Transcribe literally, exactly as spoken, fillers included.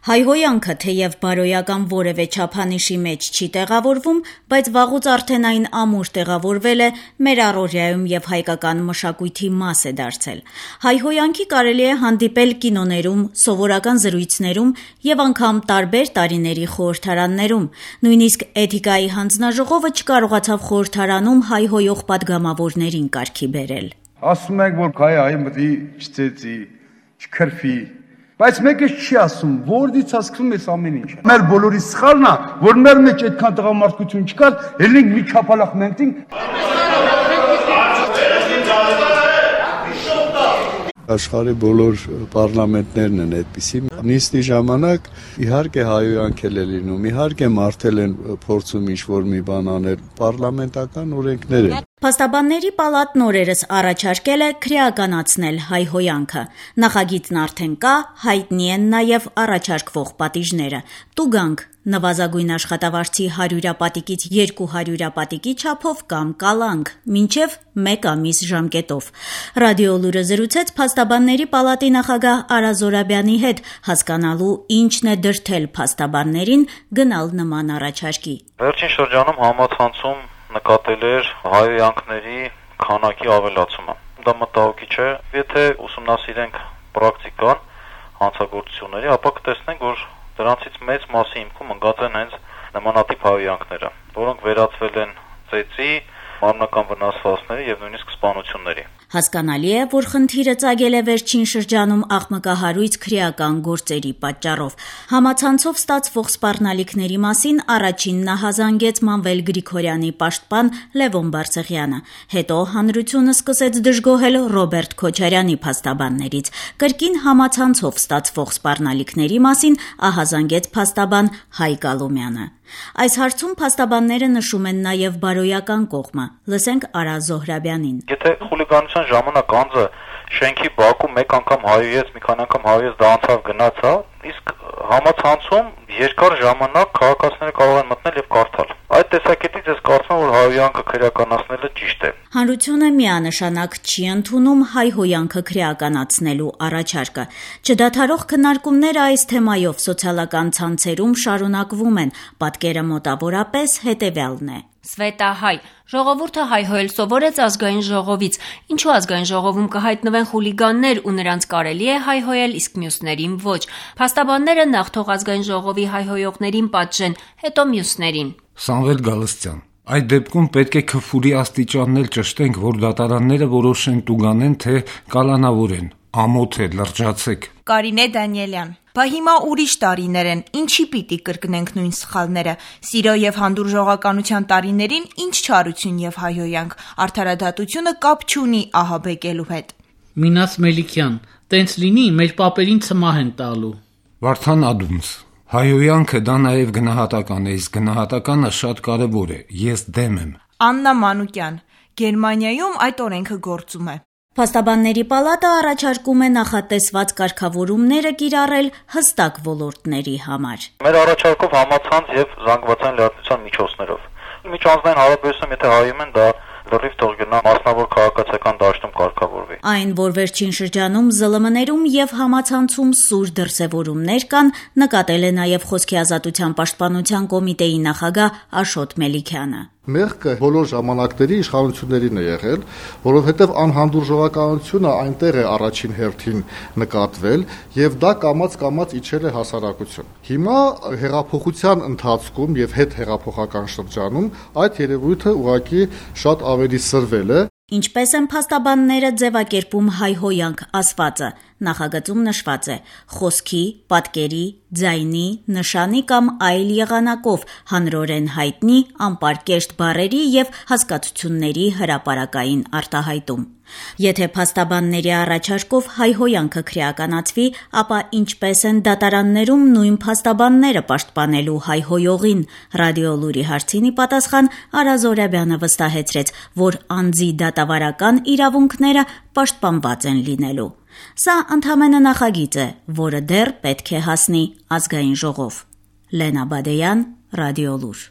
Հայհոյանքը թեև բարոյական որևէ չափանիշի մեջ չի տեղավորվում, բայց վաղուց արդեն այն ամուր տեղավորվել է մեր առօրյայում եւ հայկական մշակույթի մաս է դարձել։ Հայհոյանքի կարելի է հանդիպել կինոներում, սովորական զրույցներում եւ անգամ տարբեր տարիների խորհրդարաններում։ Նույնիսկ Էթիկայի հանձնաժողովը չկարողացավ խորհրդարանում հայհոյող պատգամավորներին կարգի բերել։ Ասում եք, որ հայ այ մտի չծեծի, չքրֆի, բայց մեկը չի ասում, որից է սկսում այս ամեն ինչը։ Մեր բոլորի սխալն է, որ մեր մեջ այդքան տղամարդկություն չկար, ելնենք մի չափալախ մենքտինք։ Աշխարհի բոլոր պարլամենտներն են այդպիսի։ Նիստի ժամանակ իհարկե հայհոյանքել է լինում, իհարկե մարդել են փորձում ինչ-որ մի բան անել, պարլամենտական օրենքներ են։ Փաստաբանների պալատն օրերս առաջարկել է քրեականացնել հայհոյանքը։ Նախագիծն արդեն կա, հայտնի են նաև առաջարկվող պատիժները։ Տուգանք նվազագույն աշխատավարձի հարյուրապատիկից երկու հարյուրապատիկի չափով կամ կալանք, մինչև մեկ ամիս ժամկետով։ Ռադիոլուրը զրուցեց Փաստաբանների պալատի նախագահ Արա Զորաբյանի հետ, հասկանալու ինչն է դրդել փաստաբաններին գնալ նման առաջարկի։ Վերջին շրջանում համացանցում նկատել էր հայհոյանքների քանակի ավելացումը։ Դա մտահոգիչ է, եթե ուսումնասիրենք պրակտիկան, հանցագործությունների, ապա կտեսնենք, որ դրանցից մեծ մասի հիմքում ընկած են հենց նմանատիպ հայհոյանքները, որոնք վերածվել են ծեծի, մարմնական վնասվածքների եւ նույնիսկ սպանությունների։ Հասկանալի է, որ խնդիրը ծագել է վերջին շրջանում աղմկահարույց քրեական գործերի պատճառով։ Համացանցով ստացվող սպառնալիքների մասին առաջինն ահազանգեց Մանվել Գրիգորյանի պաշտպան Լևոն Բարսեղյանը։ Հետո հանրությունը սկսեց դժգոհել Ռոբերտ Քոչարյանի փաստաբաններից։ Կրկին համացանցով ստացվող սպառնալիքների մասին ահազանգեց փաստաբան Հայկ Ալոմյանը։ Այս հարցում փաստաբանները նշում են նաև բարոյական կողմը։ Լսենք Արա Զոհրաբյանին։ Եթե խուլիգանության ժամանակ անձը շենքի բակում մեկ անգամ հայոյեց, մի քանի անգամ հայոյեց, դա անցավ գնացա, իսկ համացանցում երկար ժամանակ քաղաքացիները կարող են մտնել եւ կարդալ։ Այդ տեսակետից ես կարծում եմ, որ հայհոյանքը քրեականացնելը ճիշտ է։ Հանրությունը միանշանակ չի ընդունում հայհոյանքը քրեականացնելու առաջարկը։ Չդադարող քննարկումները այս թեմայով սոցիալական ցանցերում շարունակվում են։ Պատկերը մոտավորապես հետևյալն է։ Սվետա հայ, ժողովուրդը հայհոյել սովորեց ազգային ժողովից, ինչու ազգային ժողովում կհայտնվեն խուլիգաններ ու նրանց կարելի է հայհոյել, իսկ մյուսներին ոչ։ Փաստաբանները նախ թող ազգային ժողովի հայհոյողներին պատժեն, հետո մյուսներին։ Սամվել Գալստյան, այդ դեպքում պետք է քֆուրի աստիճաններ ճշտենք, որ դատարանները որոշեն տուգանեն, թե կալանավորեն, ամոթ է, լրջացեք։ Կարինե Դանիելյան, բա հիմա ուրիշ տարիներ են, ինչի պիտի կրկնենք նույն սխալները։ Սիրո եւ հանդուրժողականության տարիներին ինչ չարություն եւ հայհոյանք, արդարադատությունը կապ չունի ահաբեկելու հետ։ Մինաս Մելիքյան, տենց լինի, մեր պապերին ցմահ են տալու։ Վարդան Ադումս, հայհոյանքը դա նաեւ գնահատական է, իսկ գնահատականը շատ կարեւոր է, ես դեմ եմ։ Աննա Մանուկյան, Գերմանիայում այդ օրենքը գործում է։ Փաստաբանների պալատը առաջարկում է նախատեսված կարգավորումները կիրառել հստակ ոլորտների համար։ Մեր առաջարկով համացանց եւ զանգվածային լրատվության միջոցներով։ Միջանձնային հարաբերությունում եթե հայում են, դա լրիվ թող գնա մասնավոր քաղաքացիական դաշտում կարգավորվի։ Այն, որ վերջին շրջանում զլ մ ներում եւ համացանցում սուր դրսեւորումներ կան, նկատել է նաեւ Խոսքի ազատության պաշտպանության կոմիտեի նախագահ Աշոտ Մելիքյանը։ Մեղքը բոլոր ժամանակների իշխանություններին է եղել, որովհետև անհանդուրժողականությունը այնտեղ է առաջին հերթին նկատվել եւ դա կամաց-կամաց իջել է հասարակություն։ Հիմա հեղափոխության ընթացքում եւ հետ հեղափոխական շրջանում այդ երևույթը ուղղակի շատ ավելի սրվել է։ Ինչպես են փաստաբանները ձևակերպում հայհոյանք ասվածը, նախագծում նշված է խոսքի, պատկերի, ձայնի, նշանի կամ այլ եղանակով հանրորեն հայտնի անպարկեշտ բառերի եւ հասկացությունների հրապարակային արտահայտում։ Եթե փաստաբանների առաջարկով հայհոյանքը քրեականացվի, ապա ինչպես են դատարաններում նույն փաստաբանները պաշտպանելու հայհոյողին։ Ռադիոլուրի հարցինի պատասխան Արա Զորաբյանը վստահեցրեց, որ անձի դատավարական իրավունքները պաշտպանված են լինելու։ Սա ընդհանրապես նախագիծ է, որը դեռ պետք է հասնի ազգային ժողով։ Լենա Բադեյան, Ռադիոլուր։